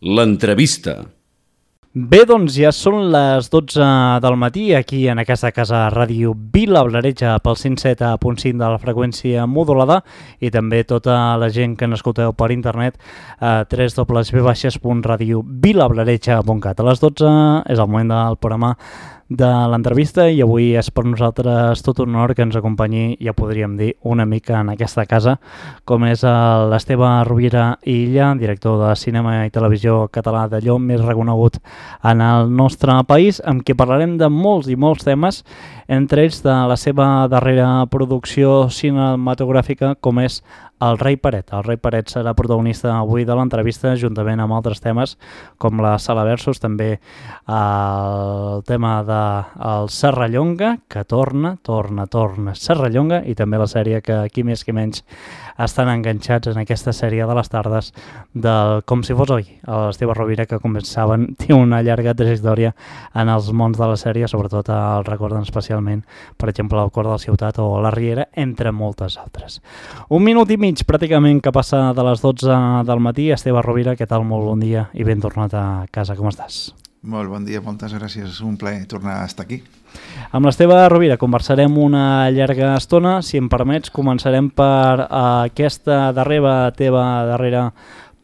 L'entrevista. Bé, doncs ja són les 12 del matí aquí en aquesta casa Ràdio Vila Blareja pel 107.5 de la freqüència modulada i també tota la gent que n'escolteu per internet a www.radiovillablareja.cat. A les 12 és el moment del programa de l'entrevista i avui és per nosaltres tot un honor que ens acompanyi, ja podríem dir, una mica en aquesta casa, com és l'Esteve Rovira i Illa, director de cinema i televisió català d'allò més reconegut en el nostre país, amb qui parlarem de molts i molts temes, entre ells de la seva darrera producció cinematogràfica, com és El rei Peret. El rei Peret serà protagonista avui de l'entrevista, juntament amb altres temes, com la Sala Versus, també el tema del Serrallonga, que torna Serrallonga, i també la sèrie que aquí més que menys estan enganxats en aquesta sèrie de les tardes del Com si fos oi. L'Esteve Rovira, que com saben, té una llarga trajectòria en els mons de la sèrie, sobretot el recorden especialment, per exemple, El cor de la ciutat o La Riera, entre moltes altres. Un minut i mig pràcticament que passa de les 12 del matí. Esteve Rovira, què tal? Molt bon dia i ben tornat a casa. Com estàs? Molt bon dia, moltes gràcies. És un plaer tornar a estar aquí. Amb l'Esteve Rovira conversarem una llarga estona. Si em permets, començarem per aquesta teva darrera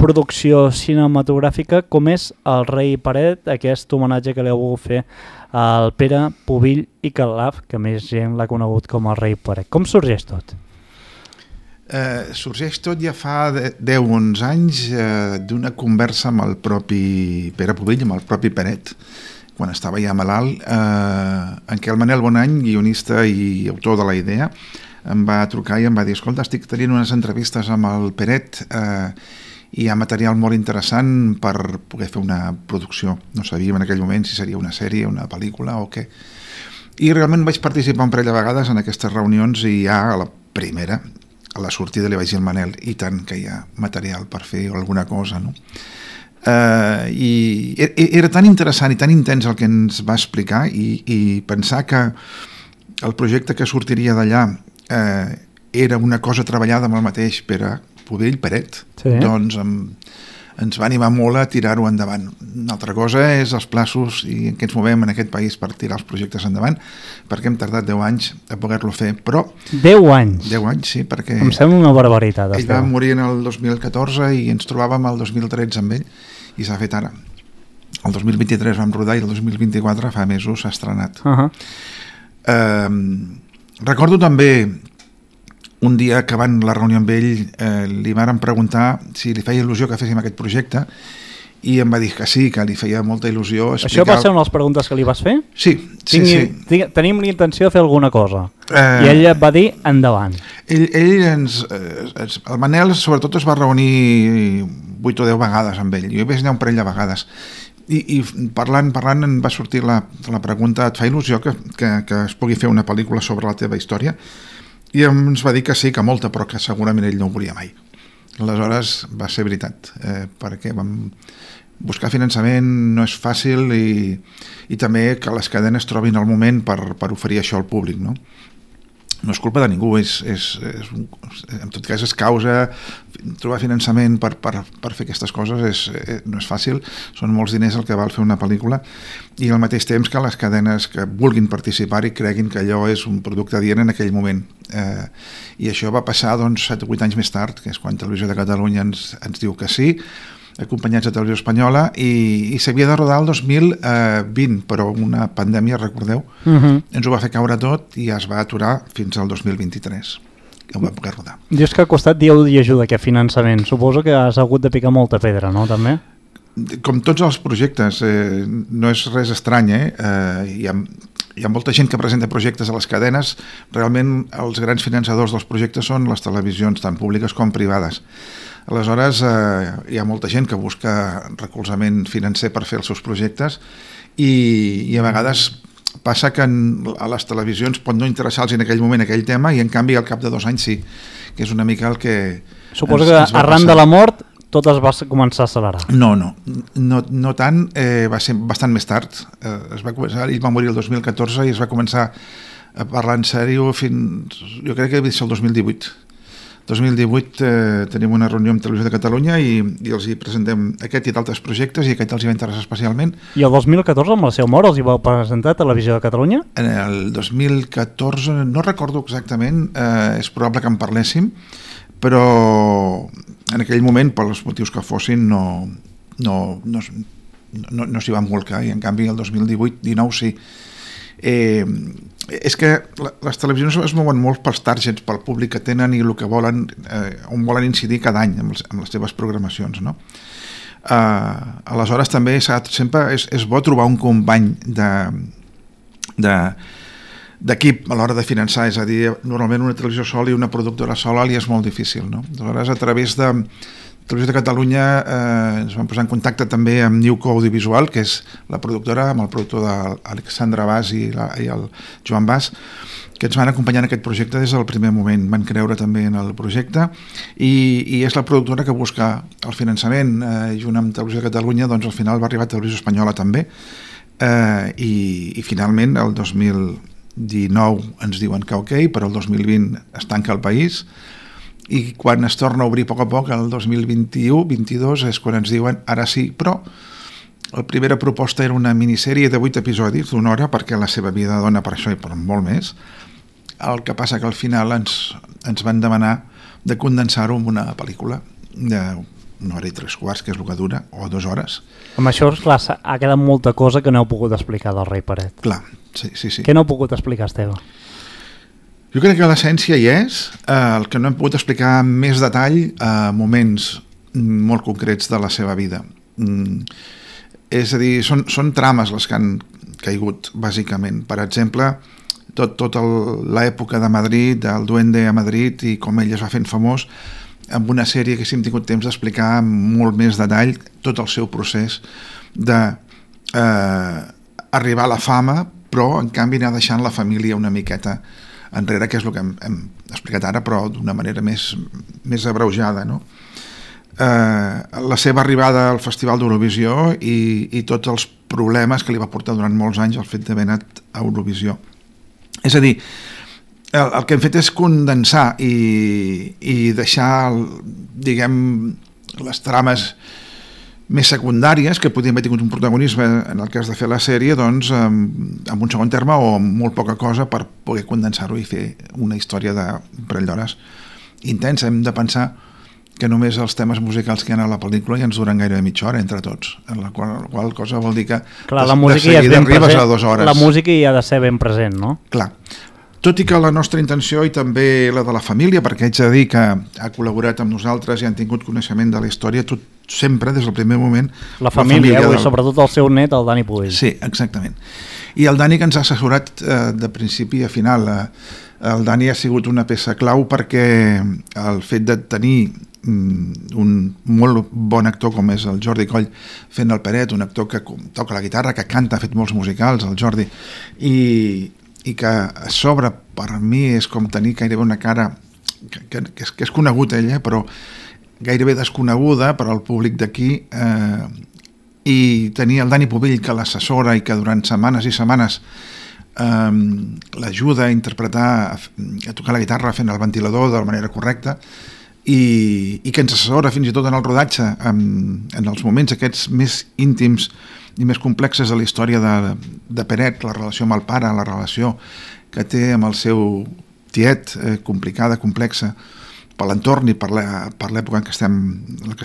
producció cinematogràfica, com és El rei Peret, aquest homenatge que li heu volgut fer al Pere Pubill i Calaf, que més gent l'ha conegut com El rei Peret. Com sorgeix tot? Sorgeix tot ja fa 10-11 anys d'una conversa amb el propi Pere Pubill, amb el propi Peret, quan estava ja malalt, en què el Manel Bonany, guionista i autor de la idea, em va trucar i em va dir: escolta, estic tenint unes entrevistes amb el Peret i hi ha material molt interessant per poder fer una producció. No sabíem en aquell moment si seria una sèrie, una pel·lícula o què. I realment vaig participar un parell de vegades en aquestes reunions i ja a la primera, a la sortida, li vaig dir al Manel: i tant que hi ha material per fer alguna cosa, no? I era tan interessant i tan intens el que ens va explicar i pensar que el projecte que sortiria d'allà era una cosa treballada amb el mateix Pere Pubill, Peret, sí. Doncs ens va animar molt a tirar-ho endavant. Una altra cosa és els plaços i en què ens movem en aquest país per tirar els projectes endavant, perquè hem tardat 10 anys a poder-lo fer, però... 10 anys? 10 anys, sí, perquè... Em sembla una barbaritat. Ell va morir en el 2014 i ens trobàvem el 2013 amb ell, i s'ha fet ara. El 2023 vam rodar i el 2024 fa mesos s'ha estrenat. Recordo també... Un dia acabant la reunió amb ell li varen preguntar si li feia il·lusió que féssim aquest projecte i em va dir que sí, que li feia molta il·lusió explicar... Això va ser una de les preguntes que li vas fer? Sí. Tenim l'intenció de fer alguna cosa i ell et va dir endavant. El Manel sobretot es va reunir 8 o 10 vegades amb ell. Jo hi vaig anar un parell de vegades i parlant em va sortir la pregunta: et fa il·lusió que es pugui fer una pel·lícula sobre la teva història? I ens va dir que sí, que molta, però que segurament ell no ho volia mai. Aleshores va ser veritat, perquè vam buscar finançament, no és fàcil, i també que les cadenes trobin el moment per oferir això al públic, no? No és culpa de ningú, en tot cas és causa, trobar finançament per fer aquestes coses no és fàcil, són molts diners el que val fer una pel·lícula, i al mateix temps que les cadenes que vulguin participar i creguin que allò és un producte adient en aquell moment. I això va passar 7 o 8 anys més tard, que és quan Televisió de Catalunya ens diu que sí, acompanyats de Televisió Espanyola, i s'havia de rodar el 2020, però una pandèmia, recordeu, ens ho va fer caure tot i es va aturar fins al 2023, que ho va poder rodar. Dius que ha costat Déu i ajuda aquest finançament. Suposo que has hagut de picar molta pedra, no, també? Com tots els projectes, no és res estrany, hi ha molta gent que presenta projectes a les cadenes. Realment els grans finançadors dels projectes són les televisions, tant públiques com privades. Aleshores, hi ha molta gent que busca recolzament financer per fer els seus projectes i a vegades passa que a les televisions pot no interessar-los en aquell moment aquell tema i en canvi al cap de 2 anys sí, que és una mica el que... Suposo que arran de la mort tot es va començar a accelerar. No tant, va ser bastant més tard. Ell va morir el 2014 i es va començar a parlar en sèrio fins, jo crec que va ser el 2018. 2018 tenim una reunió amb Televisió de Catalunya i els hi presentem aquest i d'altres projectes i aquest els hi va interessar especialment. I el 2014 amb la seu mort els hi vau presentar a Televisió de Catalunya? En el 2014 no recordo exactament, és probable que en parléssim, però en aquell moment, per els motius que fossin, no s'hi van volcar, i en canvi el 2018-19 sí. És que les televisions es mouen molt pels targets, pel públic que tenen i el que volen, on volen incidir cada any amb les seves programacions, no? Aleshores també sempre és bo trobar un company d'equip a l'hora de finançar, és a dir, normalment una televisió sola i una productora sola li és molt difícil, no? Aleshores, a través de Televisió de Catalunya ens vam posar en contacte també amb Newco Audiovisual, que és la productora, amb el productor d'Alexandre Bas i el Joan Bas, que ens van acompanyar en aquest projecte des del primer moment. Van creure també en el projecte i és la productora que busca el finançament. Junt amb Televisió de Catalunya, doncs al final va arribar Televisió Espanyola també, i finalment el 2019 ens diuen que ok, però el 2020 es tanca el país, i quan es torna a obrir a poc, el 2021-22 és quan ens diuen ara sí, però la primera proposta era una minissèrie de 8 episodis d'1 hora, perquè la seva vida dona per això i per molt més. El que passa que al final ens van demanar de condensar-ho en una pel·lícula d'1 hora i 3/4, que és el que dura, o 2 hores. Amb això, clar, ha quedat molta cosa que no heu pogut explicar del Rei Peret. Clar, sí. Què no heu pogut explicar, Esteve? Jo crec que l'essència hi és, el que no hem pogut explicar amb més detall moments molt concrets de la seva vida. És a dir, són trames les que han caigut, bàsicament. Per exemple, tota l'època de Madrid, del Duende a Madrid i com ell es va fent famós, amb una sèrie que hem tingut temps d'explicar amb molt més detall tot el seu procés d'arribar a la fama, però en canvi anar deixant la família una miqueta enrere, que és el que hem explicat ara, però d'una manera més abreujada, no? La seva arribada al Festival d'Eurovisió i tots els problemes que li va portar durant molts anys el fet d'haver anat a Eurovisió. És a dir, el que hem fet és condensar i deixar, diguem, les trames més secundàries, que podien haver tingut un protagonisme en el cas de fer la sèrie, doncs amb un segon terme o amb molt poca cosa, per poder condensar-ho i fer una història de un parell d'hores intensa. Hem de pensar que només els temes musicals que hi ha a la pel·lícula ja ens duren gairebé mitja hora entre tots, en la qual cosa vol dir que clar, la música ja és ben arribes present, a 2 hores. La música hi ha de ser ben present, no? Clar. Tot i que la nostra intenció, i també la de la família, perquè haig de dir que ha col·laborat amb nosaltres i han tingut coneixement de la història, tot sempre, des del primer moment... La família i sobretot el seu net, el Dani Puig. Sí, exactament. I el Dani, que ens ha assessorat de principi a final. El Dani ha sigut una peça clau perquè el fet de tenir un molt bon actor com és el Jordi Coll fent el Peret, un actor que toca la guitarra, que canta, ha fet molts musicals, el Jordi, i que a sobre per mi és com tenir gairebé una cara que és conegut ella, però gairebé desconeguda per al públic d'aquí, i tenir el Dani Pubill, que l'assessora i que durant setmanes i setmanes l'ajuda a interpretar, a tocar la guitarra fent el ventilador de la manera correcta, i que ens assessora fins i tot en el rodatge en els moments aquests més íntims i més complexes de la història de Peret, la relació amb el pare, la relació que té amb el seu tiet, complicada, complexa, per l'entorn i per l'època en què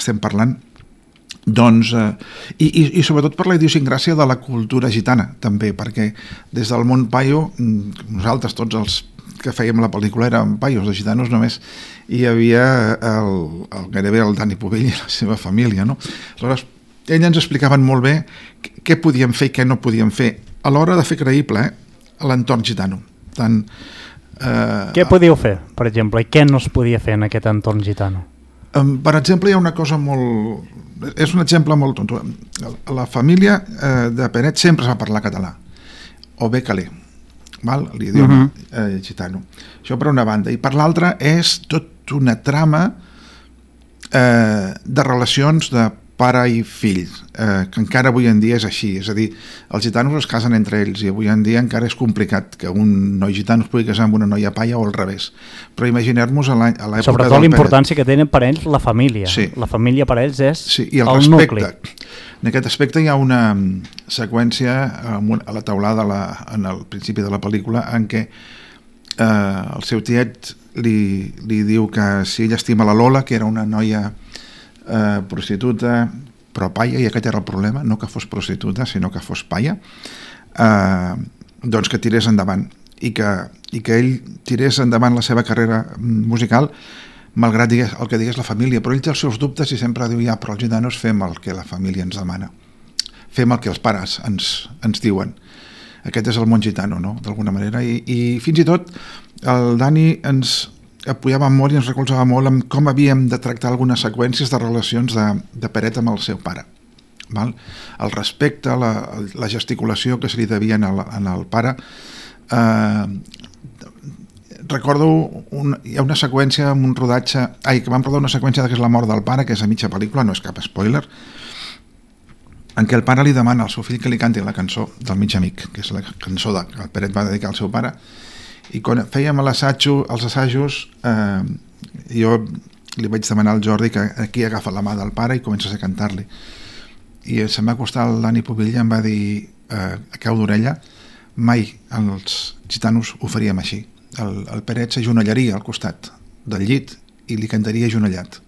estem parlant, doncs, i sobretot per la idiosincràsia de la cultura gitana, també, perquè des del món paio, nosaltres tots els que fèiem la pel·lícula eren paios, de gitanos només hi havia gairebé el Dani Pubill i la seva família, no? Aleshores, ells ens explicaven molt bé què podíem fer i què no podíem fer a l'hora de fer creïble l'entorn gitano. Què podíeu fer, per exemple, i què no es podia fer en aquest entorn gitano? Per exemple, hi ha una cosa molt... És un exemple molt tonto. La família de Peret sempre es va parlar català, o bé calé, l'idioma gitano. Això per una banda. I per l'altra és tot una trama de relacions de pare i fill, que encara avui en dia és així, és a dir, els gitanos es casen entre ells i avui en dia encara és complicat que un noi gitano es pugui casar amb una noia paia o al revés, però imaginem-nos a l'època sobretot l'importància que tenen per ells la família, la família per ells és i el nucli. En aquest aspecte hi ha una seqüència a la teulada en el principi de la pel·lícula en què el seu tiet li diu que si ell estima la Lola, que era una noia prostituta però paia, i aquest era el problema, no que fos prostituta sinó que fos paia, doncs que tirés endavant i que ell tirés endavant la seva carrera musical malgrat el que digués la família, però ell té els seus dubtes i sempre diu, però els gitanos fem el que la família ens demana, fem el que els pares ens diuen. Aquest és el món gitano, no? D'alguna manera, i fins i tot el Dani ens apoyava molt i ens recolzava molt en com havíem de tractar algunes seqüències de relacions de Peret amb el seu pare. Val? El respecte, la gesticulació que se li devia en el pare. Recordo, hi ha una seqüència amb un rodatge, que vam rodar una seqüència que és la mort del pare, que és a mitja pel·lícula, no és cap spoiler, en què el pare li demana al seu fill que li canti la cançó del mig amic, que és la cançó que el Peret va dedicar al seu pare, i quan fèiem els assajos jo li vaig demanar al Jordi que aquí agafa la mà del pare i comences a cantar-li, i se'm va acostar el Dani Pobilla i em va dir a cau d'orella, mai els gitanos ho faríem així, el Peret s'ajonellaria al costat del llit i li cantaria ajonellat,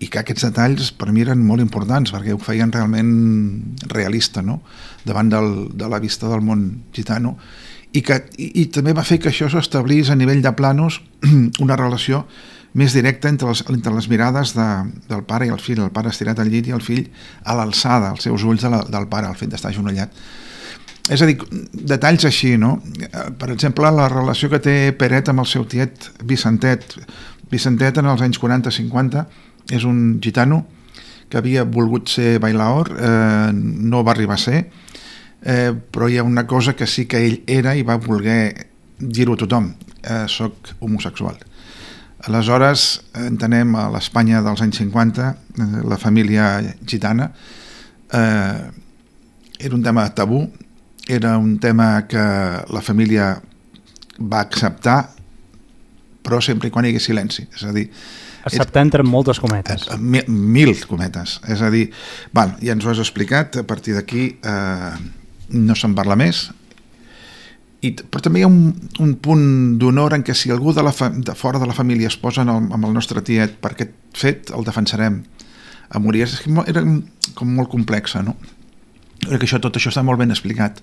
i que aquests detalls per mi eren molt importants perquè ho feien realment realista, no? Davant de la vista del món gitano, i també va fer que això s'establís a nivell de planos una relació més directa entre les mirades del pare i el fill, el pare estirat al llit i el fill a l'alçada, als seus ulls del pare, el fet d'estar ajonellat. És a dir, detalls així, no? Per exemple, la relació que té Peret amb el seu tiet Vicentet. Vicentet en els anys 40-50 és un gitano que havia volgut ser bailaor, no va arribar a ser, però hi ha una cosa que sí que ell era i va voler dir-ho a tothom, soc homosexual. Aleshores entenem a l'Espanya dels anys 50 la família gitana era un tema tabú, era un tema que la família va acceptar però sempre i quan hi hagués silenci, és a dir, acceptar entre moltes cometes, mil cometes, és a dir, ja ens ho has explicat, a partir d'aquí no se'n parla més, però també hi ha un punt d'honor en què si algú de fora de la família es posa amb el nostre tiet per aquest fet, el defensarem a morir. Era com molt complexa, no? Crec que tot això està molt ben explicat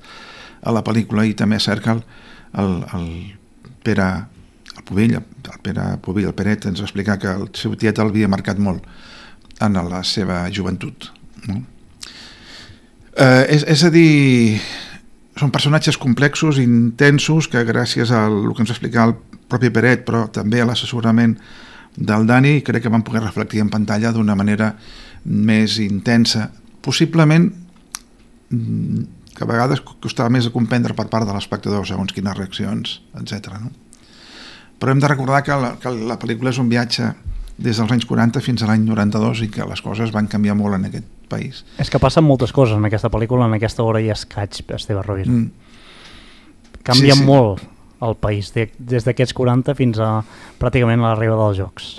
a la pel·lícula, i també és cert que el Peret ens va explicar que el seu tiet l'havia marcat molt en la seva joventut, no? És a dir, són personatges complexos, intensos, que gràcies al que ens va explicar el propi Peret, però també a l'assessorament del Dani, crec que van poder reflectir en pantalla d'una manera més intensa, possiblement que a vegades costava més a comprendre per part de l'espectador segons quines reaccions, etc. No? Però hem de recordar que la pel·lícula és un viatge des dels anys 40 fins a l'any 92 i que les coses van canviar molt en aquest país. És que passen moltes coses en aquesta pel·lícula, en aquesta hora i escaig, Esteve Rovira. Canvia molt el país, des d'aquests 40 fins a pràcticament l'arribada dels Jocs.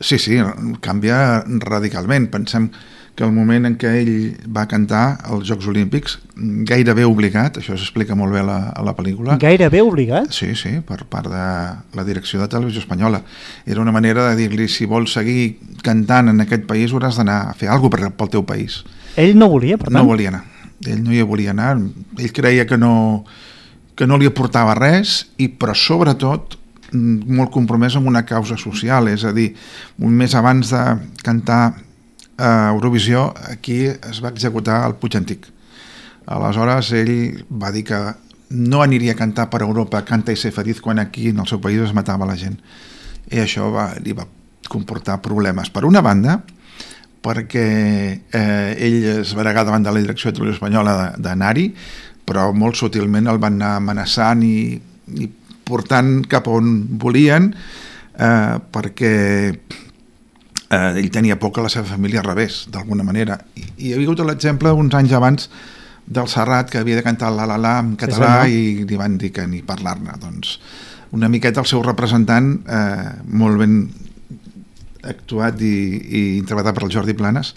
Sí, canvia radicalment. Pensem que el moment en què ell va cantar als Jocs Olímpics, gairebé obligat, això s'explica molt bé a la pel·lícula. Gairebé obligat? Sí, per part de la direcció de Televisió Espanyola. Era una manera de dir-li, si vols seguir cantant en aquest país hauràs d'anar a fer alguna cosa pel teu país. Ell no volia, per tant? No volia anar. Ell no hi volia anar. Ell creia que no li aportava res, però sobretot molt compromès amb una causa social, és a dir, un mes abans de cantar a Eurovisió, aquí es va executar el Puig Antic. Aleshores ell va dir que no aniria a cantar per Europa Canta i ser feliç quan aquí en el seu país es matava la gent, i això li va comportar problemes. Per una banda, perquè ell es va negar davant de la direcció de Televisió Espanyola d'anar-hi, però molt sutilment el van anar amenaçant i portant cap on volien, perquè ell tenia por que la seva família rebés, d'alguna manera. I hi havia hagut l'exemple uns anys abans del Serrat, que havia de cantar la en català, i li van dir que ni parlar-ne. Doncs una miqueta el seu representant, molt ben actuat i interpretat per el Jordi Planes,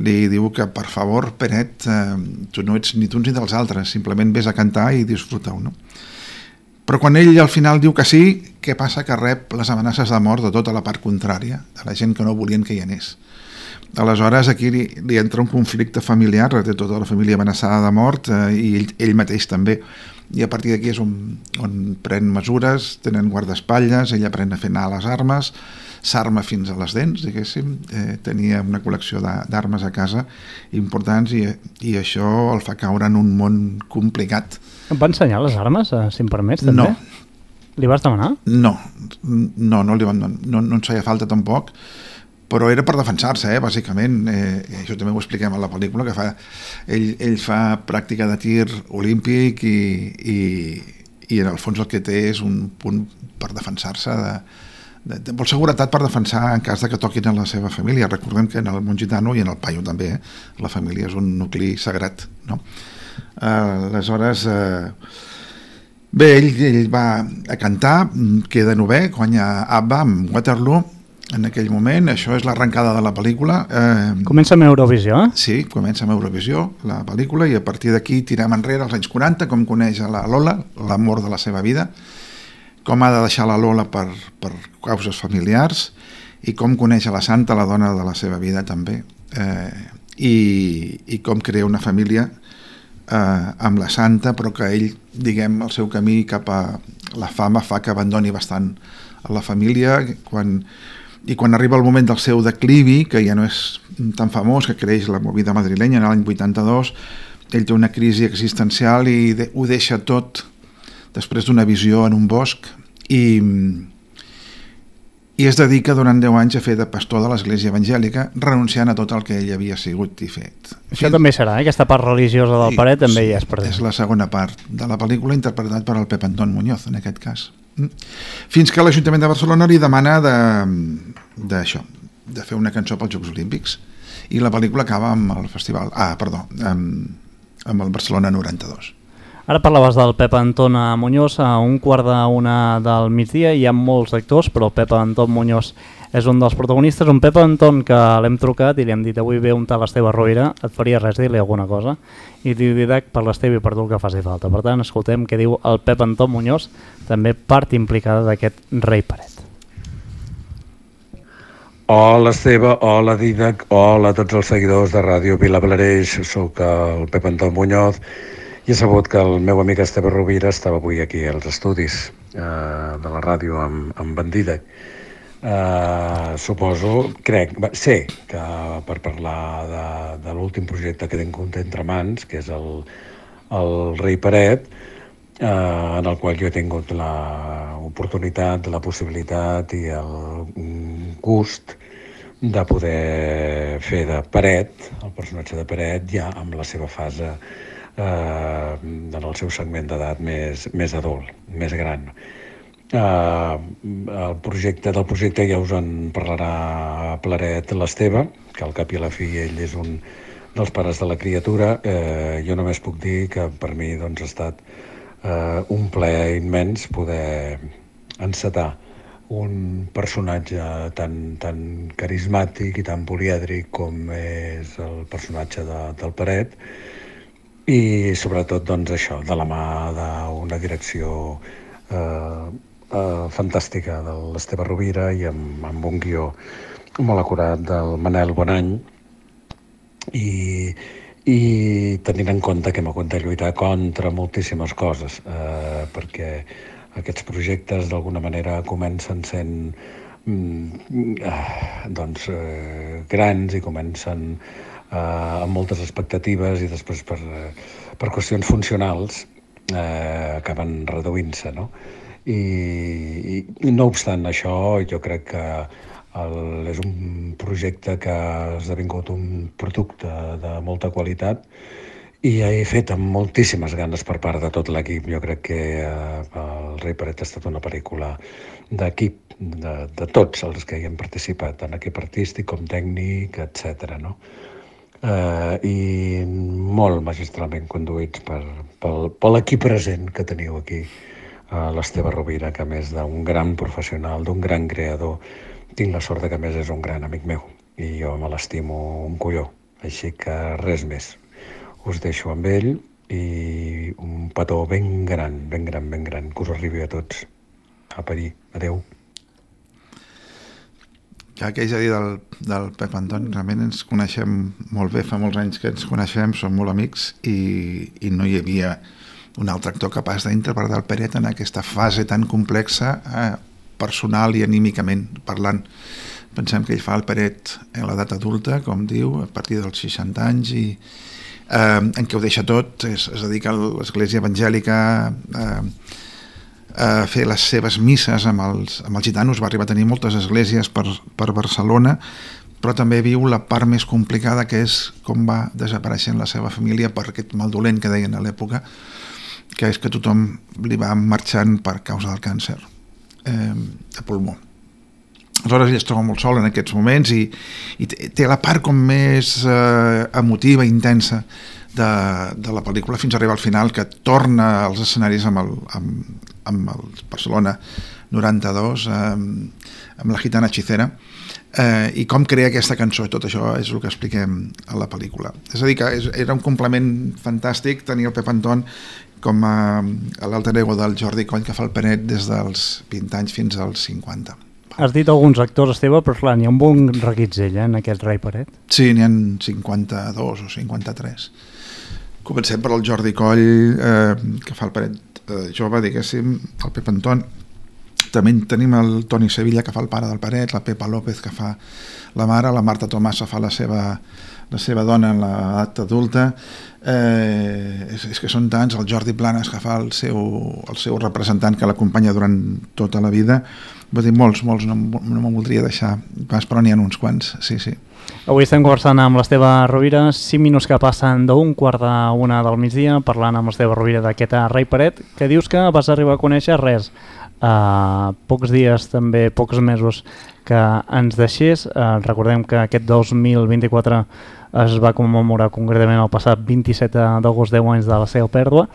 li diu que, per favor, Peret, tu no ets ni tu ni dels altres, simplement vés a cantar i disfruta-ho, no? Però quan ell al final diu que sí, què passa? Que rep les amenaces de mort de tota la part contrària, de la gent que no volien que hi anés. Aleshores aquí li entra un conflicte familiar, té tota la família amenaçada de mort, i ell mateix també, i a partir d'aquí és on pren mesures, tenen guardaespatlles, ell aprèn a fer anar les armes, s'arma fins a les dents, diguéssim, tenia una col·lecció d'armes a casa importants, i això el fa caure en un món complicat. Em va ensenyar les armes, si em permets, també? No. Li vas demanar? No li van demanar, no ens feia falta tampoc, però era per defensar-se, bàsicament. Això també ho expliquem a la pel·lícula, que ell fa pràctica de tir olímpic i en el fons el que té és un punt per defensar-se, vol seguretat per defensar en cas de que toquin a la seva família. Recordem que en el món gitano i en el paio també, la família és un nucli sagrat, no? Aleshores, bé, ell va a cantar, queda novè, guanya ABBA amb Waterloo. En aquell moment, això és l'arrencada de la pel·lícula. Comença amb Eurovisió, eh? Sí, comença amb Eurovisió, la pel·lícula, i a partir d'aquí tirem enrere als anys 40, com coneix a la Lola, l'amor de la seva vida, com ha de deixar la Lola per causes familiars, i com coneix a la Santa, la dona de la seva vida també, i com crea una família amb la Santa, però que ell, diguem, el seu camí cap a la fama fa que abandoni bastant a la família, i quan arriba el moment del seu declivi, que ja no és tan famós, que creix la movida madrilenya en l'any 82, ell té una crisi existencial i ho deixa tot després d'una visió en un bosc, i es dedica durant 10 anys a fer de pastor de l'església evangèlica, renunciant a tot el que ell havia sigut i fet. Això també serà, aquesta part religiosa del Peret també hi és present. És la segona part de la pel·lícula, interpretat per el Pep Antón Muñoz, en aquest cas. Fins que l'Ajuntament de Barcelona li demana de fer una cançó pels Jocs Olímpics, i la pel·lícula acaba amb el festival, amb el Barcelona 92. Ara parlaves del Pep Antón Muñoz. A 1:45 del migdia hi ha molts actors, però el Pep Antón Muñoz és un dels protagonistes. Un Pep Antón que l'hem trucat i li hem dit: avui ve un tal Esteve Rovira, et faria res dir-li alguna cosa? I diu: Didac, per l'Esteve i per tu el que faci falta. Per tant, escoltem què diu el Pep Antón Muñoz, també part implicada d'aquest Rei Peret. Hola Esteve, hola Didac, hola a tots els seguidors de Ràdio Vilablareix. Soc el Pep Antón Muñoz i he sabut que el meu amic Esteve Rovira estava avui aquí als estudis de la ràdio amb en Didac. Suposo, sé que per parlar de l'últim projecte que tinc entre mans, que és el Rei Peret, en el qual jo he tingut l'oportunitat, la possibilitat i el gust de poder fer de Peret, el personatge de Peret, ja amb la seva fase en el seu segment d'edat més adult, més gran. Del projecte ja us en parlarà pleret l'Esteve, que al cap i a la fi ell és un dels pares de la criatura. Jo només puc dir que per mi ha estat un plaer immens poder encetar un personatge tan carismàtic i tan polièdric com és el personatge del Peret, i sobretot això, de la mà d'una direcció fantàstica de l'Esteve Rovira i amb un guió molt acurat del Manel Bonany, i tenint en compte que hem hagut de lluitar contra moltíssimes coses, perquè aquests projectes d'alguna manera comencen sent grans i comencen amb moltes expectatives, i després per qüestions funcionals acaben reduint-se, no? I no obstant això, jo crec que és un projecte que ha esdevingut un producte de molta qualitat i he fet amb moltíssimes ganes per part de tot l'equip. Jo crec que el Rei Peret ha estat una pel·lícula d'equip, de tots els que hi hem participat, tant equip artístic com tècnic, etc. No? I molt magistralment conduïts per l'equip present que teniu aquí, l'Esteve Rovira, que a més d'un gran professional, d'un gran creador, tinc la sort que a més és un gran amic meu i jo me l'estimo un colló, així que res més. Us deixo amb ell i un petó ben gran, que us arribi a tots. A parir. Adeu. Ja que haig de dir del Pep Anton, realment ens coneixem molt bé, fa molts anys que ens coneixem, som molt amics i no hi havia un altre actor capaç d'interpretar el Peret en aquesta fase tan complexa, personal i anímicament parlant. Pensem que ell fa el Peret en l'edat adulta, com diu, a partir dels 60 anys, i en què ho deixa tot, es dedica a l'església evangèlica, a fer les seves misses amb els gitanos, va arribar a tenir moltes esglésies per Barcelona, però també viu la part més complicada, que és com va desapareixent la seva família per aquest mal dolent que deien a l'època, que és que tothom li va marxant per causa del càncer de pulmó. Aleshores ell es troba molt sol en aquests moments i té la part com més emotiva, intensa de la pel·lícula fins a arribar al final, que torna als escenaris amb el Barcelona 92, amb la gitana hechicera, i com crea aquesta cançó. Tot això és el que expliquem a la pel·lícula. És a dir, que era un complement fantàstic tenir el Pep Anton com a l'alter ego del Jordi Coll, que fa el Peret des dels 20 anys fins als 50. Has dit alguns actors, Esteve, però clar, n'hi ha un bon reguitzell en aquest Rei Peret. Sí, n'hi ha 52 o 53. Comencem per el Jordi Coll, que fa el Peret jove, diguéssim, el Pep Anton. També tenim el Toni Sevilla, que fa el pare del Peret, la Pepa López, que fa la mare, la Marta Tomasa fa la seva dona en l'edat adulta. És que són tants, el Jordi Planes, que fa el seu representant, que l'acompanya durant tota la vida. Vull dir, molts, no me'n voldria deixar pas, però n'hi ha uns quants, sí. Avui estem conversant amb l'Esteve Rovira, 5 minuts que passen d'1:45 del migdia, parlant amb l'Esteve Rovira d'aquest Rei Peret, que dius que vas arribar a conèixer res. Pocs dies, també pocs mesos que ens deixés. Recordem que aquest 2024 es va commemorar concretament el passat 27 d'agost, 10 anys de la seva pèrdua.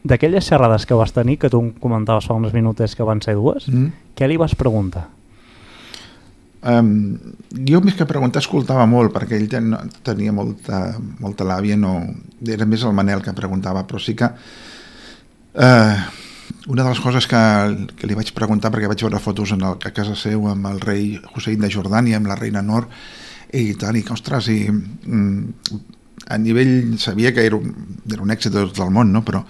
D'aquelles xerrades que vas tenir, que tu em comentaves fa uns minuts que van ser 2, què li vas preguntar? Jo més que preguntar escoltava molt, perquè ell tenia molta làbia, no, era més el Manel que preguntava, però sí que una de les coses que li vaig preguntar, perquè vaig veure fotos a casa seu amb el rei Hussein de Jordània, amb la reina Nor i tal, i que ostres, a nivell sabia que era un èxit de tot el món, no? Però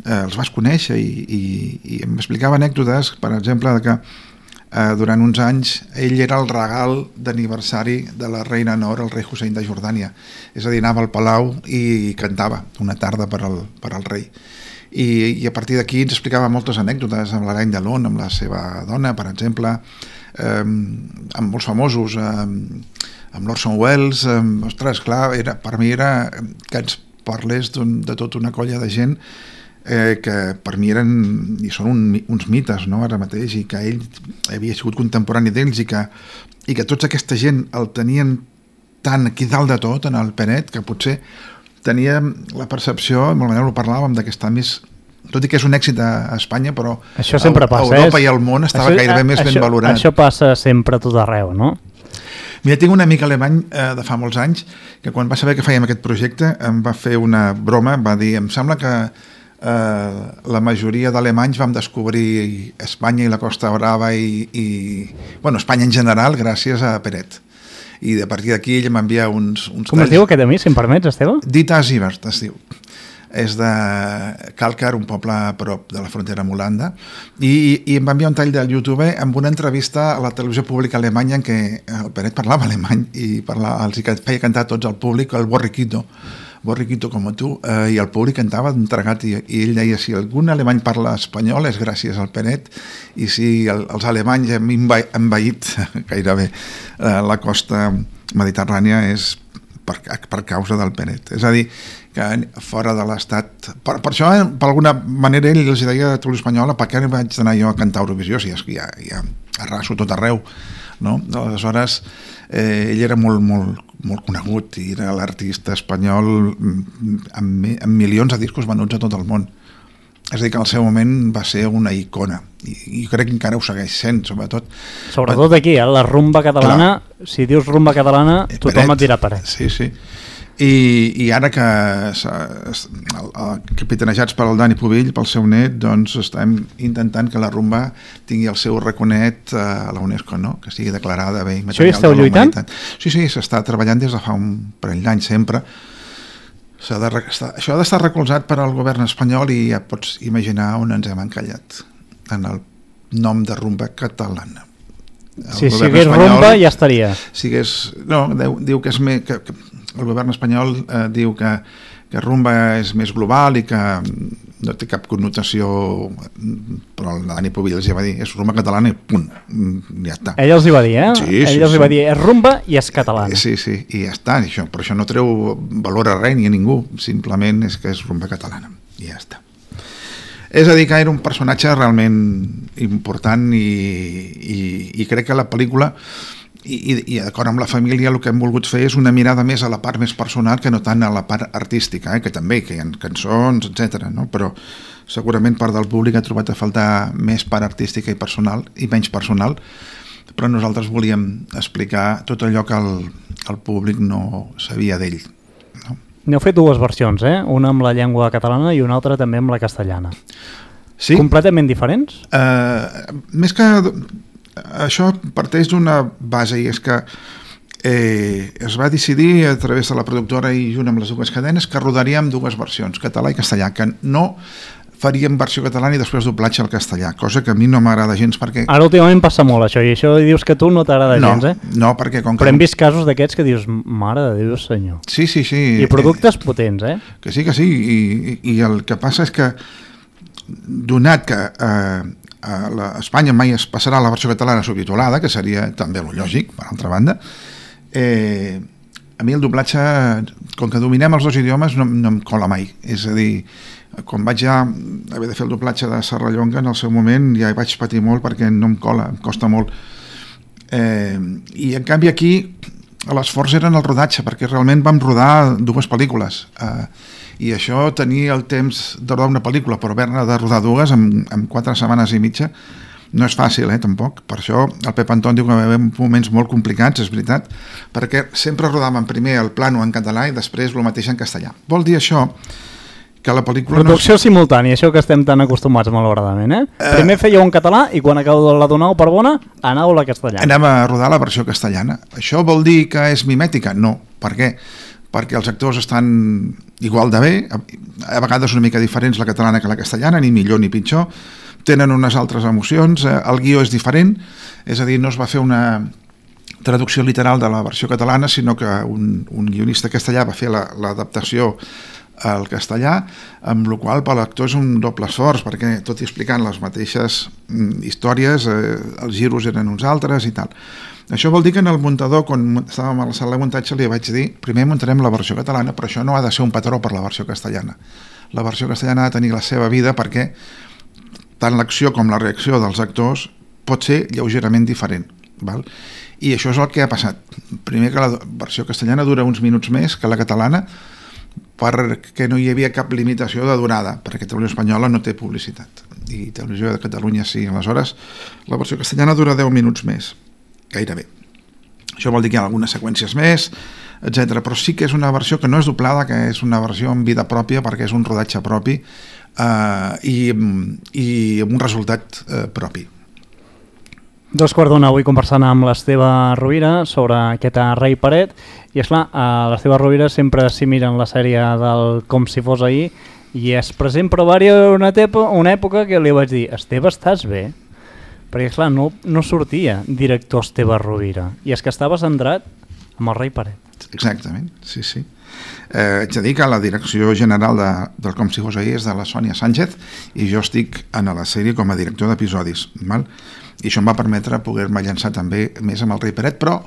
els vas conèixer i em explicava anècdotes, per exemple, que durant uns anys ell era el regal d'aniversari de la reina Nor, el rei Hussein de Jordània. És a dir, anava al palau i cantava una tarda per al rei. I a partir d'aquí ens explicava moltes anècdotes amb l'Aragne de Lon, amb la seva dona, per exemple, amb molts famosos, amb l'Orson Welles. Ostres, clar, per mi era que ens parlés de tota una colla de gent que per mi eren i són uns mites, no?, ara mateix, i que ell havia sigut contemporani d'ells i que tota aquesta gent el tenien tan aquí dalt de tot en el Peret, que potser tenia la percepció, amb la manera ho parlàvem, que està més, tot i que és un èxit a Espanya, però això sempre passa, Europa i el món estava gairebé més ben valorat. Això passa sempre a tot arreu, no? Mira, tinc un amic alemany de fa molts anys que quan va saber que fèiem aquest projecte em va fer una broma, va dir, em sembla que la majoria d'alemanys vam descobrir Espanya i la Costa Brava i Espanya en general gràcies a Peret. I a partir d'aquí ell m'envia uns Com es diu aquest amic, si em permets, Esteve? Dieter Sievert es diu. És de Kalkar, un poble a prop de la frontera amb Holanda, i em va enviar un tall del YouTube amb una entrevista a la televisió pública alemanya en què el Peret parlava alemany i els feia cantar tots al públic el Borriquito com tu, i el públic cantava entregat, i ell deia, si algun alemany parla espanyol és gràcies al Peret, i si els alemanys hem envaït gairebé la costa mediterrània és per causa del Peret. És a dir, que fora de l'Estat... Per això, per alguna manera, ell els deia a Televisió Espanyola per què vaig anar jo a cantar a Eurovisió, si és que ja arraso tot arreu, no? Aleshores, ell era molt conegut i era l'artista espanyol amb milions de discos venuts a tot el món. És a dir, que al seu moment va ser una icona i crec que encara ho segueix sent, sobretot aquí, la rumba catalana. Clar. Si dius rumba catalana, tothom et dirà Peret. Sí. I ara que capitanejats pel Dani Pubill, pel seu net, doncs estem intentant que la rumba tingui el seu raconet a la UNESCO, no? Que sigui declarada bé Això hi esteu lluitant? Sí, s'està treballant des de fa un parell d'anys sempre. Això ha d'estar recolzat per al govern espanyol i ja pots imaginar on ens hem encallat en el nom de rumba catalana. Si sigués rumba ja estaria. Diu que és més... Que el govern espanyol diu que rumba és més global i que no té cap connotació, però el Dani Pubill els va dir és rumba catalana i punt, ja està. Ell els hi va dir, Sí, els hi va dir, és rumba i és catalana. Sí, i ja està, per això no treu valor a res ni a ningú, simplement és que és rumba catalana i ja està. És a dir, que era un personatge realment important i crec que la pel·lícula i d'acord amb la família el que hem volgut fer és una mirada més a la part més personal que no tant a la part artística, que també, que hi ha cançons, etc. No? Però segurament part del públic ha trobat a faltar més part artística i personal i menys personal, però nosaltres volíem explicar tot allò que el públic no sabia d'ell. No? N'heu fet dues versions, una amb la llengua catalana i una altra també amb la castellana. Sí? Completament diferents? Més que... Això parteix d'una base i és que es va decidir a través de la productora i junt amb les dues cadenes que rodaríem dues versions, català i castellà, que no faríem versió catalana i després doblatge al castellà, cosa que a mi no m'agrada gens perquè... Ara últimament passa molt això i això dius que tu no t'agrada gens, No, perquè com que... Però hem vist casos d'aquests que dius, mare de Déu senyor. Sí. I productes potents, Que sí, i el que passa és que donat que... a Espanya mai es passarà la versió catalana subtitulada, que seria també lo lògic, per altra banda. A mi el doblatge, com que dominem els dos idiomes, no em cola mai. És a dir, quan vaig ja haver de fer el doblatge de Serrallonga, en el seu moment ja hi vaig patir molt perquè no em cola, em costa molt. I en canvi aquí l'esforç era en el rodatge, perquè realment vam rodar dues pel·lícules. I això, tenir el temps de rodar una pel·lícula però haver-ne de rodar dues en 4 setmanes i mitja no és fàcil, tampoc. Per això el Pep Anton diu que va haver moments molt complicats, és veritat, perquè sempre rodàvem primer el plano en català i després el mateix en castellà. Vol dir això que la pel·lícula... Producció simultània, això que estem tan acostumats malauradament, Primer fèieu en català i quan acabeu de la donau per bona, aneu a la castellana. Anem a rodar la versió castellana. Això vol dir que és mimètica? No. Per què? Perquè els actors estan igual de bé, a vegades una mica diferents la catalana que la castellana, ni millor ni pitjor, tenen unes altres emocions, el guió és diferent, és a dir, no es va fer una traducció literal de la versió catalana, sinó que un guionista castellà va fer l'adaptació al castellà, amb la qual per l'actor és un doble esforç, perquè tot i explicant les mateixes històries, els giros eren uns altres i tal. Això vol dir que en el muntador, quan estàvem a la sala de muntatge, li vaig dir, primer muntarem la versió catalana, però això no ha de ser un patró per la versió castellana. La versió castellana ha de tenir la seva vida perquè tant l'acció com la reacció dels actors pot ser lleugerament diferent. Val? I això és el que ha passat. Primer que la versió castellana dura uns minuts més que la catalana perquè no hi havia cap limitació de durada, perquè Televisió Espanyola no té publicitat i Televisió de Catalunya sí. Aleshores, la versió castellana dura 10 minuts més. Gairebé. Això vol dir que hi ha algunes seqüències més, etc. Però sí que és una versió que no és doblada, que és una versió amb vida pròpia perquè és un rodatge propi i amb un resultat propi. 2:15 avui conversant amb l'Esteve Rovira sobre aquest rei Peret i esclar, l'Esteve Rovira sempre s'hi mira en la sèrie del Com si fos ahir i és present, però va haver una època que li vaig dir, Esteve, estàs bé? Perquè, clar, no sortia director Esteve Rovira. I és que estava centrat amb el rei Peret. Exactament, sí. Haig de dir que la direcció general del Com si fos ahir és de la Sònia Sánchez i jo estic en la sèrie com a director d'episodis. I això em va permetre poder-me llançar també més amb el rei Peret, però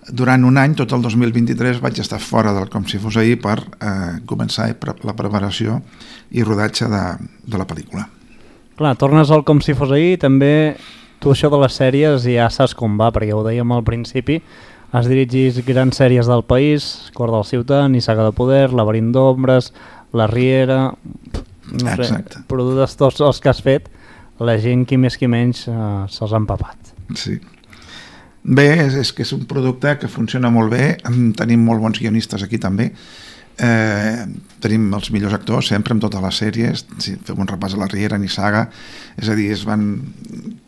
durant un any, tot el 2023, vaig estar fora del Com si fos ahir per començar la preparació i rodatge de la pel·lícula. Clar, tornes al Com si fos ahir, també tu això de les sèries ja saps com va, perquè ho dèiem al principi, has dirigit grans sèries del país, Cor del Ciutat, Nissaga de Poder, Laberint d'Ombres, La Riera... No sé, produtes tots els que has fet, la gent qui més qui menys se'ls ha empapat. Sí. Bé, és que és un producte que funciona molt bé, tenim molt bons guionistes aquí també, tenim els millors actors sempre en totes les sèries, si fem un repàs a La Riera, Nissaga, és a dir, es van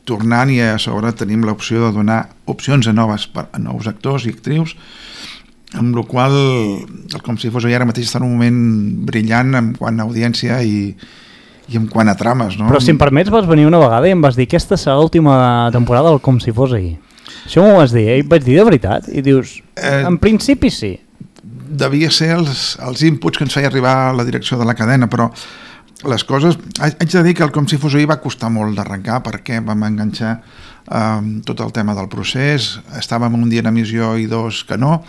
tornant i a sobre tenim l'opció de donar opcions a nous actors i actrius, amb la qual el Com si fos ahir ara mateix està en un moment brillant en quant a audiència i en quant a trames, no? Però si em permets, vas venir una vegada i em vas dir que aquesta serà l'última temporada del Com si fos ahir. Això m'ho vas dir, i vaig dir de veritat, i dius, en principi sí. Devia ser els inputs que ens feia arribar la direcció de la cadena, però les coses... Haig de dir que el Com si fos ahir va costar molt d'arrencar perquè vam enganxar tot el tema del procés, estàvem un dia en emissió i dos que no.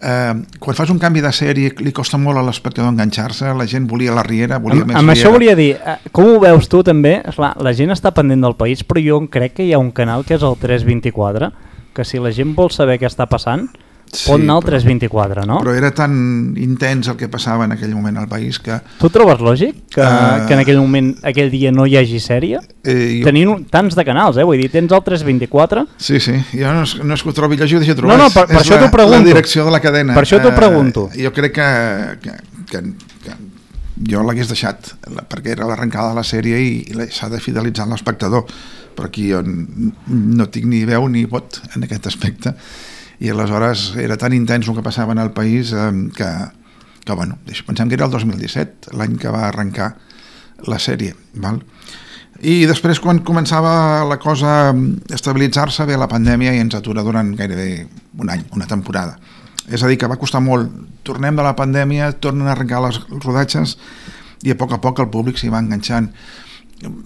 Quan fas un canvi de sèrie li costa molt a l'espectador enganxar-se, la gent volia La Riera, volia més amb Riera. Això volia dir, com ho veus tu també? Esclar, la gent està pendent del país, però jo crec que hi ha un canal que és el 324, que si la gent vol saber què està passant, pot anar al 324, no? Però era tan intens el que passava en aquell moment al país que... Tu trobes lògic que en aquell moment, aquell dia no hi hagi sèrie? Tenint tants de canals, vull dir, tens el 324... Sí, jo no és que ho trobi lògic, ho deixo trobar. No, per això t'ho pregunto. La direcció de la cadena. Per això t'ho pregunto. Jo crec que jo l'hagués deixat, perquè era l'arrencada de la sèrie i s'ha de fidelitzar l'espectador, però aquí jo no tinc ni veu ni vot en aquest aspecte. I aleshores era tan intens el que passava en el país que bueno, pensem que era el 2017, l'any que va arrencar la sèrie, val? I després quan començava la cosa a estabilitzar-se, ve la pandèmia i ens atura durant gairebé un any, una temporada. És a dir, que va costar molt. Tornem de la pandèmia, tornen a arrencar els rodatges i a poc el públic s'hi va enganxant.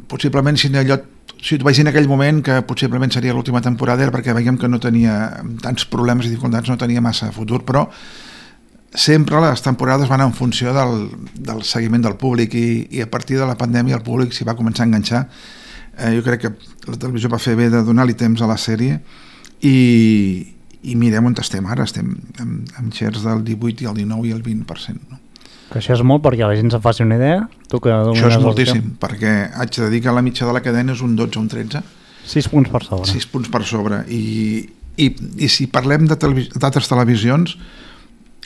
Possiblement si et vaig dir en aquell moment que possiblement seria l'última temporada era perquè veiem que no tenia tants problemes i dificultats, no tenia massa futur, però sempre les temporades van en funció del seguiment del públic i a partir de la pandèmia el públic s'hi va començar a enganxar. Jo crec que la televisió va fer bé de donar-li temps a la sèrie i mirem on estem ara, estem amb shares del 18 i el 19 i el 20%, no? Que això és molt perquè la gent se'n faci una idea. Això és moltíssim, perquè haig de dir que la mitja de la cadena és un 12 o un 13. 6 punts per sobre. 6 punts per sobre. I si parlem d'altres televisions,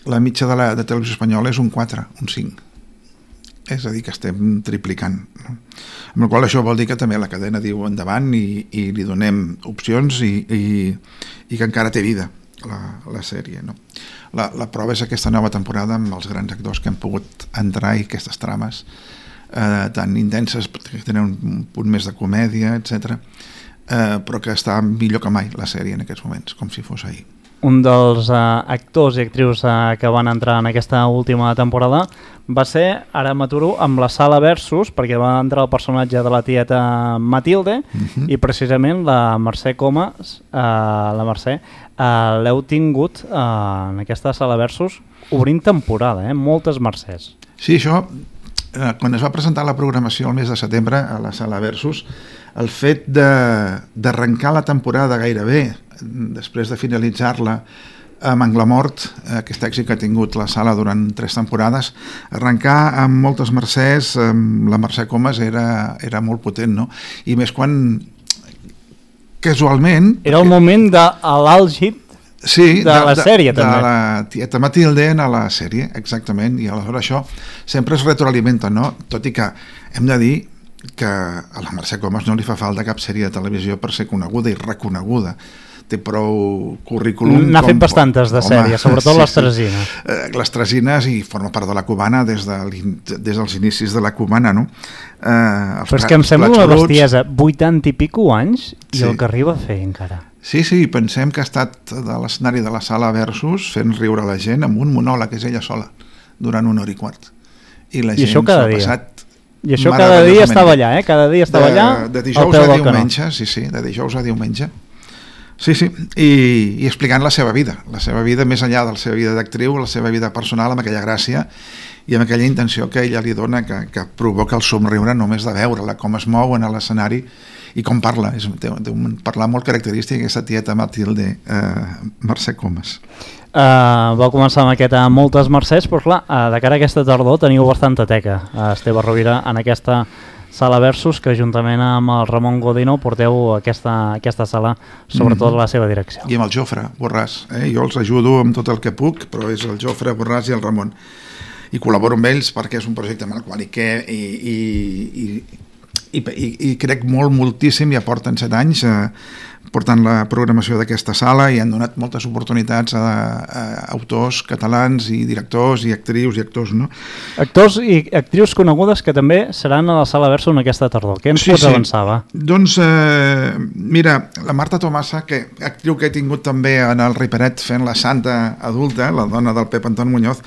la mitja de televisió espanyola és un 4, un 5. És a dir, que estem triplicant, no? Amb la qual això vol dir que també la cadena diu endavant i li donem opcions i que encara té vida la sèrie, no? La prova és aquesta nova temporada amb els grans actors que han pogut entrar i aquestes trames tan intenses, que tenen un punt més de comèdia, etc. Però que està millor que mai la sèrie en aquests moments, com si fos ahir. Un dels actors i actrius que van entrar en aquesta última temporada va ser, ara m'aturo, amb la Sala Versus, perquè va entrar el personatge de la tieta Matilde i precisament la Mercè Comas, la Mercè, l'heu tingut en aquesta Sala Versus obrint temporada, moltes Mercès. Sí, això, quan es va presentar la programació el mes de setembre a la Sala Versus, el fet d'arrencar la temporada gairebé després de finalitzar-la amb Anglamort, aquest èxit que ha tingut la sala durant 3 temporades, arrencar amb moltes Mercès, amb la Mercè Comas era molt potent, no? I més quan casualment... Era el moment de l'àlgid de la sèrie, també. De la tieta Matilde a la sèrie, exactament, i aleshores això sempre es retroalimenta, no? Tot i que hem de dir que a la Mercè Comas no li fa falta cap sèrie de televisió per ser coneguda i reconeguda. Té prou currículum. N'ha fet bastantes de sèries, sobretot les Tresines. Les Tresines, i forma part de la Cubana des dels inicis de la Cubana, no? Però és que em sembla una bestiesa, 80 i pico anys i el que arriba a fer encara. Sí, pensem que ha estat de l'escenari de la Sala Versus fent riure la gent amb un monòleg, que és ella sola, durant 1 hora i quart. I la gent s'ho ha passat. I això cada dia estava allà, Cada dia estava allà de dijous a diumenge, sí, de dijous a diumenge. Sí, sí, i explicant la seva vida més enllà de la seva vida d'actriu, la seva vida personal, amb aquella gràcia i amb aquella intenció que ella li dona que provoca el somriure només de veure-la, com es mou en l'escenari i com parla. Té un parlar molt característic, aquesta tieta Matilde, Mercè Comas. Va començar amb moltes mercès, però clar, de cara a aquesta tardor teniu bastanta teca, Esteve Rovira, en aquesta Sala Versus, que juntament amb el Ramon Godino porteu aquesta sala, sobretot la seva direcció. I amb el Jofre Borràs, jo els ajudo amb tot el que puc, però és el Jofre Borràs i el Ramon. I col·laboro amb ells perquè és un projecte amb el qual i crec moltíssim, ja porten 7 anys portant la programació d'aquesta sala i han donat moltes oportunitats a autors catalans i directors i actrius i actors, no? Actors i actrius conegudes que també seran a la Sala Versus en aquesta tardor. Què ens pots avançar, va? Doncs, mira, la Marta Tomasa, actriu que he tingut també en el Riperet fent la santa adulta, la dona del Pep Anton Muñoz,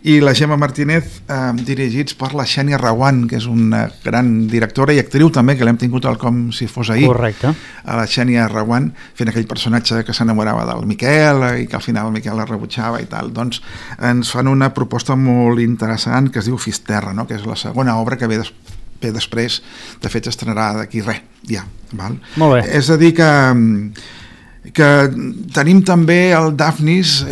i la Gemma Martínez, dirigits per la Xènia Rawan, que és una gran directora i actriu també, que l'hem tingut com si fos ahir. Correcte. A la Xènia Rawan, fent aquell personatge que s'enamorava del Miquel i que al final el Miquel la rebutjava i tal. Doncs ens fan una proposta molt interessant que es diu Fisterra, no? Que és la segona obra que ve després, de fet s'estrenarà d'aquí res, ja. Val? Molt bé. És a dir que tenim també el Daphnis,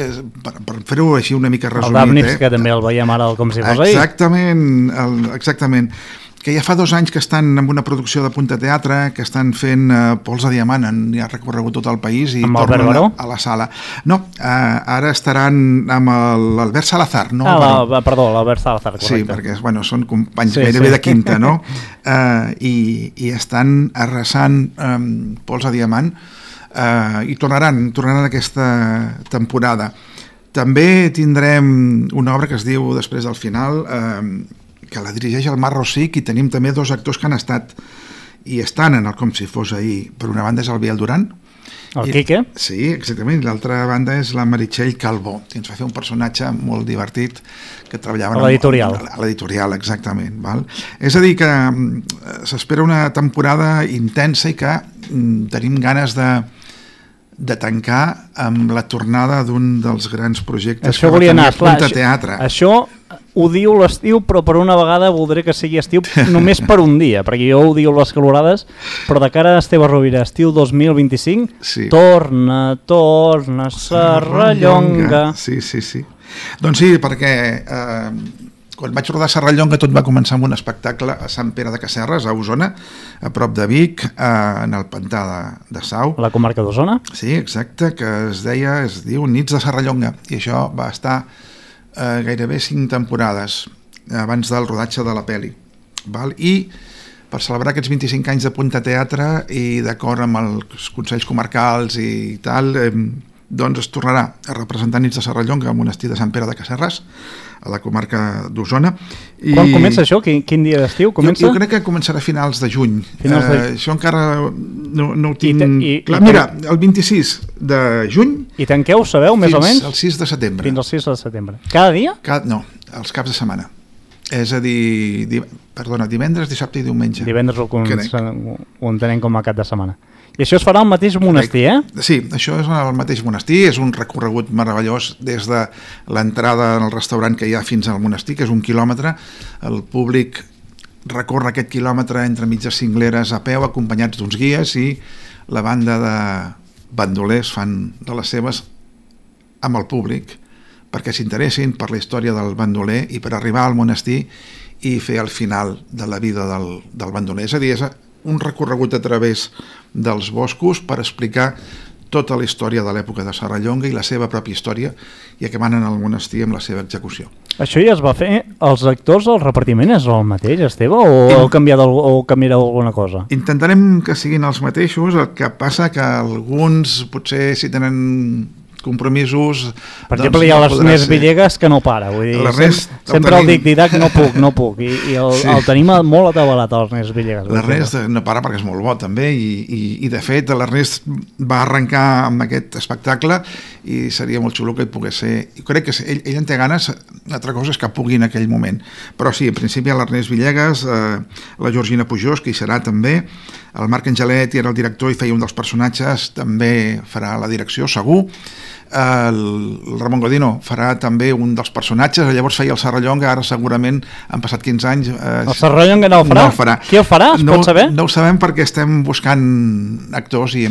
per fer-ho així una mica resumit. El Daphnis, que també el veiem ara com si fos ahir. Exactament, que ja fa 2 anys que estan en una producció de Punta Teatre, que estan fent Pols de Diamant, ja ha recorregut tot el país i tornen a la sala. No, ara estaran amb l'Albert Salazar, no? Perdó, l'Albert Salazar, correcte. Sí, perquè són companys gairebé de quinta, no? I estan arrasant Pols de Diamant i tornaran aquesta temporada. També tindrem una obra que es diu Després del final, que la dirigeix el Marc Rosic, i tenim també 2 actors que han estat i estan en el Com si fos ahir. Per una banda és el Biel Duran. El Quique? Sí, exactament. L'altra banda és la Meritxell Calbó, que ens va fer un personatge molt divertit que treballava a l'editorial. A l'editorial, exactament. Val? És a dir, que s'espera una temporada intensa i que tenim ganes de tancar amb la tornada d'un dels grans projectes això que va tenir Punta Teatre. Això ho diu l'estiu, però per una vegada voldré que sigui estiu només per un dia, perquè jo ho diu les calorades, però de cara a Esteve Rovira, estiu 2025, sí. Torna, Serrallonga. Sí. Doncs sí, perquè quan vaig rodar Serrallonga tot va començar amb un espectacle a Sant Pere de Casserres, a Osona, a prop de Vic, en el pantà de Sau. La comarca d'Osona? Sí, exacte, que es diu Nits de Serrallonga, i això va estar gairebé 5 temporades abans del rodatge de la pel·li. I per celebrar aquests 25 anys de Punta Teatre i d'acord amb els consells comarcals i tal, doncs es tornarà a representar Nits de Serrallonga al monestir de Sant Pere de Casserres, a la comarca d'Osona. Quan comença això? Quin dia d'estiu comença? Jo crec que començarà a finals de juny. Això encara no ho tinc clar. Mira, el 26 de juny... I tanqueu, sabeu, més o menys? Fins al 6 de setembre. Fins al 6 de setembre. Cada dia? No, els caps de setmana. És a dir, divendres, dissabte i diumenge. Divendres ho entenem com a cap de setmana. I això es farà al mateix monestir, Sí, això és al mateix monestir, és un recorregut meravellós des de l'entrada al restaurant que hi ha fins al monestir, que és 1 quilòmetre. El públic recorre aquest quilòmetre entre mitges cingleres a peu, acompanyats d'uns guies, i la banda de bandolers fan de les seves amb el públic perquè s'interessin per la història del bandoler i per arribar al monestir i fer el final de la vida del bandoler. És a dir, és un recorregut a través dels boscos per explicar tota la història de l'època de Serrallonga i la seva pròpia història, i acabant en el monestir amb la seva execució. Això ja es va fer? Els actors, el repartiment és el mateix, Esteve, o canviareu alguna cosa? Intentarem que siguin els mateixos, el que passa que alguns potser si tenen compromisos... Per exemple, hi ha l'Ernest Villegas que no para, vull dir, sempre el Didac no puc, i el tenim molt atabalat, l'Ernest Villegas. L'Ernest no para perquè és molt bo també, i de fet l'Ernest va arrencar amb aquest espectacle i seria molt xulo que hi pogués ser. Crec que ell en té ganes, altra cosa és que pugui en aquell moment, però sí, en principi l'Ernest Villegas, la Georgina Pujós, que hi serà també, El Marc Angelet era el director i feia un dels personatges, també farà la direcció, segur. El Ramon Godino farà també un dels personatges, llavors feia el Serrallonga, ara segurament han passat 15 anys. El Serrallonga no el farà? No el farà. Qui el farà? Es pot saber? No ho sabem perquè estem buscant actors i...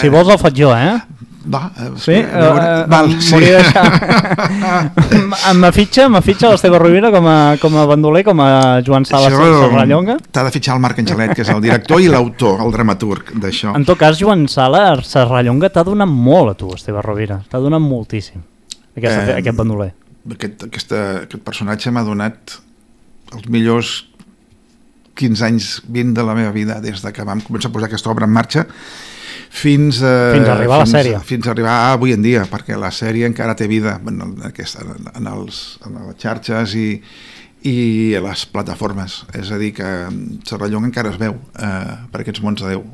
Si vols el faig jo, Va, sí? Val, sí. Me fitxa l'Esteve Rovira com a bandoler, com a Joan Sala Serrallonga? T'ha de fitxar el Marc Angelet, que és el director i l'autor, el dramaturg d'això. En tot cas, Joan Sala Serrallonga t'ha donat molt a tu, Esteve Rovira. T'ha donat moltíssim, aquest bandoler. Aquest personatge m'ha donat els millors 15 anys 20 de la meva vida, des de que vam començar a posar aquesta obra en marxa, fins a arribar a la sèrie. Fins a arribar a avui en dia, perquè la sèrie encara té vida en les xarxes i a les plataformes. És a dir, que Serrallonga encara es veu per aquests mons de Déu.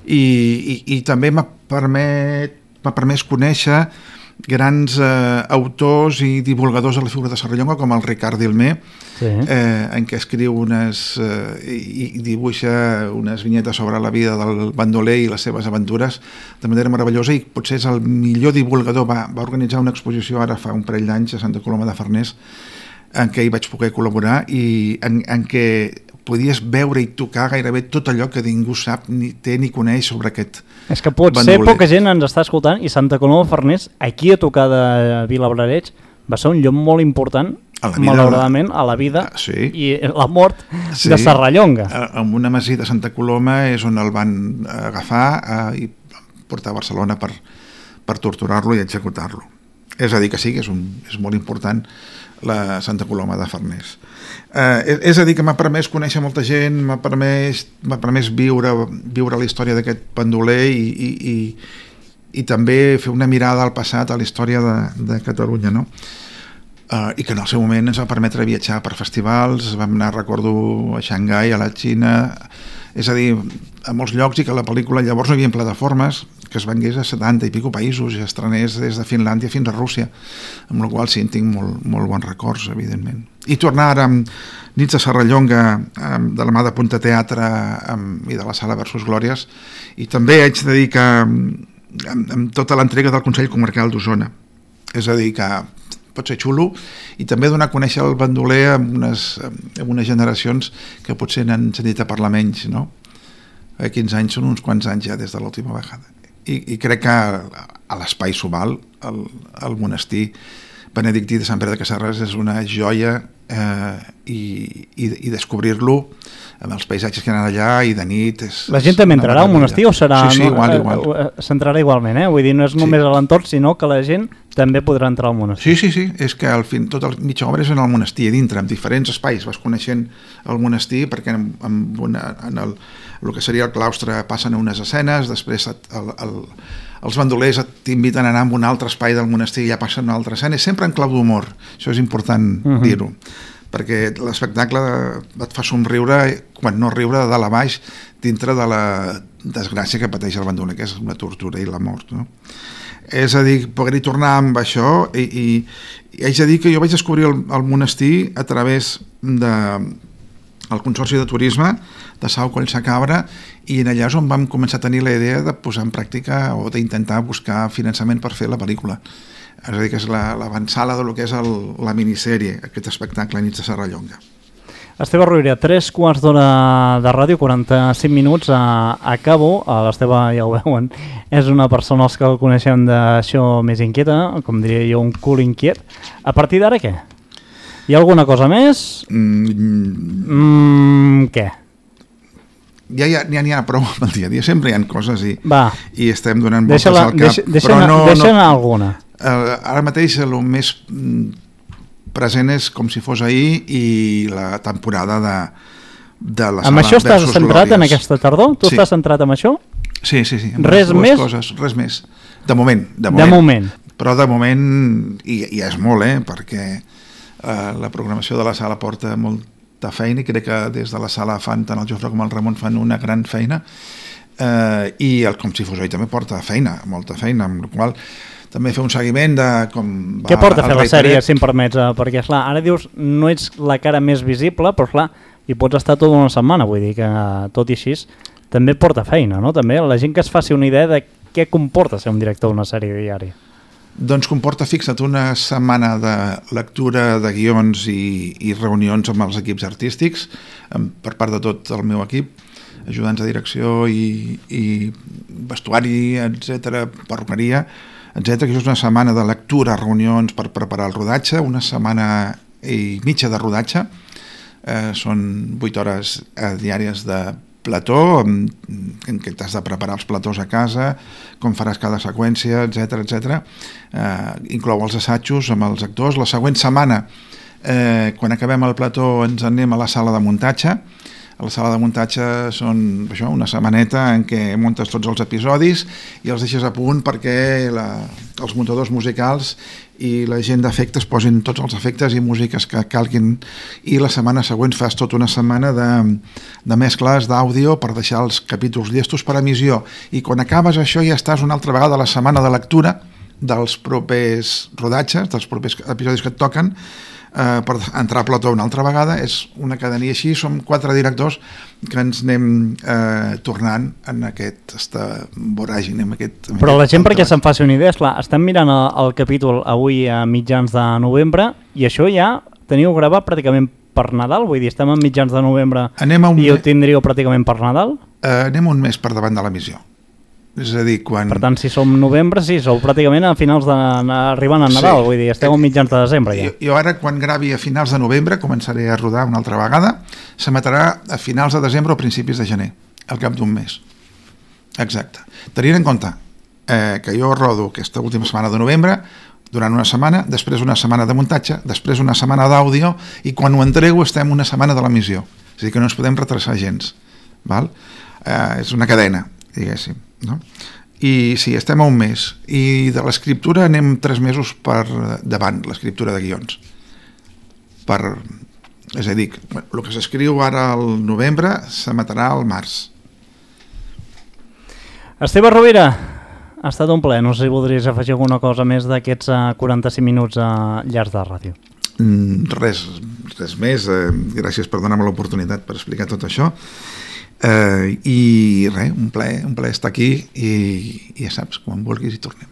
I també m'ha permès conèixer grans autors i divulgadors de la figura de Serrallonga, com el Ricard Dilmé, sí. En què escriu i dibuixa unes vinyetes sobre la vida del bandoler i les seves aventures de manera meravellosa, i potser és el millor divulgador. Va organitzar una exposició ara fa un parell d'anys a Santa Coloma de Farners, en què hi vaig poder col·laborar i en què podies veure i tocar gairebé tot allò que ningú sap, ni té ni coneix sobre aquest bandoler. És que potser poca gent ens està escoltant, i Santa Coloma de Farners, aquí a tocar de Vilabrareig, va ser un lloc molt important, malauradament, a la vida i la mort de Serrallonga. En una masia de Santa Coloma és on el van agafar i portar a Barcelona per torturar-lo i executar-lo. És a dir, que sí, que és molt important la Santa Coloma de Farners. És a dir, que m'ha permès conèixer molta gent, m'ha permès viure la història d'aquest bandoler i també fer una mirada al passat, a la història de Catalunya, no? I que en el seu moment ens va permetre viatjar per festivals, vam anar, recordo, a Xangai, a la Xina, és a dir, a molts llocs, i que la pel·lícula llavors no hi havia plataformes, que es vengués a 70 i pico països i estrenés des de Finlàndia fins a Rússia, amb la qual sí, en tinc molt bons records, evidentment. I tornar ara amb Nits de Serrallonga, de la mà de Punta Teatre i de la Sala Versus Glòries, i també haig de dir que amb tota l'entrega del Consell Comarcal d'Osona, és a dir, que pot ser xulo, i també donar a conèixer el bandoler amb unes generacions que potser n'han sentit a parlar menys, no? 15 anys són uns quants anys ja des de l'última vegada. I crec que a l'Espai Subal, el monestir benedictí de Sant Pere de Casserres és una joia, i descobrir-lo amb els paisatges que anen allà i de nit la gent també entrarà al monestir o serà... Sí, igual. S'entrarà igualment, Vull dir, no és només a l'entorn, sinó que la gent també podrà entrar al monestir. Sí, és que al fin tota la mitja obra és en el monestir, dintre, en diferents espais vas coneixent el monestir, perquè en el que seria el claustre passen unes escenes, després els bandolers t'inviten a anar a un altre espai del monestir i ja passen una altra escena, sempre en clau d'humor, això és important dir-ho, perquè l'espectacle et fa somriure, quan no riure, de dalt a baix, dintre de la desgràcia que pateix el bandoler, que és una tortura i la mort, no? És a dir, poder-hi tornar amb això, i haig de dir que jo vaig descobrir el monestir a través del Consorci de Turisme de Sau Collsa Cabra, i en allà és on vam començar a tenir la idea de posar en pràctica o d'intentar buscar finançament per fer la pel·lícula. És a dir, que és l'avançada del que és la minissèrie, aquest espectacle Nits de Serrallonga. Esteve Rovira, 3 quarts d'hora de ràdio, 45 minuts, acabo. L'Esteve, ja ho veuen, és una persona els que el coneixem d'això més inquieta, com diria jo, un cul inquiet. A partir d'ara, què? Hi ha alguna cosa més? Què? Ja n'hi ha prou amb el dia a dia, sempre hi ha coses i estem donant voltes al cap. Deixa'm alguna. Ara mateix el més present és Com si fos ahir i la temporada de la Sala Versus Glòries. Amb això estàs centrat en aquesta tardor? Tu estàs centrat en això? Sí. Res més? Res més. De moment. Però de moment, i és molt, perquè la programació de la sala porta molta feina, i crec que des de la sala fan, tant el Jofre com el Ramon fan una gran feina, i el Com si fos ahir també porta feina, molta feina, amb la qual també fer un seguiment de com va... Què porta fer la sèrie, si em permets? Perquè, esclar, ara dius, no ets la cara més visible, però, esclar, hi pots estar tota una setmana, vull dir que, tot i així, també porta feina, no? També la gent que es faci una idea de què comporta ser un director d'una sèrie diària. Doncs comporta, fixa't, una setmana de lectura de guions i reunions amb els equips artístics, per part de tot el meu equip, ajudants de direcció i vestuari, etc, perruqueria, etc, que és una setmana de lectura, reunions per preparar el rodatge, una setmana i mitja de rodatge, són 8 hores diàries de plató, en què t'has de preparar els platós a casa, com faràs cada seqüència, etc. Inclou els assajos amb els actors. La següent setmana, quan acabem el plató, ens anem a la sala de muntatge. A la sala de muntatge són una setmaneta en què muntes tots els episodis i els deixes a punt perquè els muntadors musicals i la gent d'efectes posin tots els efectes i músiques que calguin, i la setmana següent fas tota una setmana de mescles d'àudio per deixar els capítols llestos per emissió, i quan acabes això ja estàs una altra vegada a la setmana de lectura dels propers rodatges, dels propers episodis que et toquen, per entrar a plató una altra vegada. És una cadena, i així som 4 directors que ens anem tornant en aquesta voràgine. Però la gent, perquè se'n faci una idea, esclar, estem mirant el capítol avui a mitjans de novembre i això ja teniu gravat pràcticament per Nadal, vull dir, estem a mitjans de novembre i ho tindríeu pràcticament per Nadal? Anem un mes per davant de l'emissió. És a dir, quan... Per tant, si som novembre, sí, sou pràcticament a finals arribant a Nadal, vull dir, esteu a mitjans de desembre ja. Jo ara, quan gravi a finals de novembre, començaré a rodar una altra vegada, s'emetrà a finals de desembre o principis de gener, al cap d'un mes. Exacte. Tenint en compte que jo rodo aquesta última setmana de novembre, durant una setmana, després una setmana de muntatge, després una setmana d'àudio, i quan ho entrego estem una setmana de l'emissió. És a dir, que no ens podem retrasar gens. Val? És una cadena, diguéssim. No? I sí, estem a un mes, i de l'escriptura anem 3 mesos per davant, l'escriptura de guions, és a dir, el que s'escriu ara al novembre s'emetrà al març. Esteve Rovira, ha estat un plaer. No sé si voldries afegir alguna cosa més d'aquests 45 minuts llargs de ràdio. Res més, gràcies per donar-me l'oportunitat per explicar tot això. I res, un plaer estar aquí, i ja saps, quan vulguis hi tornem.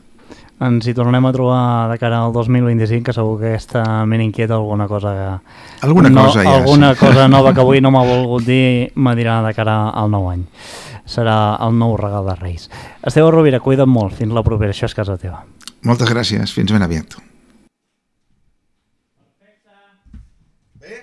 Ens hi tornem a trobar de cara al 2025, que segur que està ben inquieta alguna cosa cosa nova que avui no m'ha volgut dir, me dirà de cara al nou any. Serà el nou regal de Reis. Esteve Rovira, cuida't molt, fins la propera, això és casa teva. Moltes gràcies, fins ben aviat. Bé?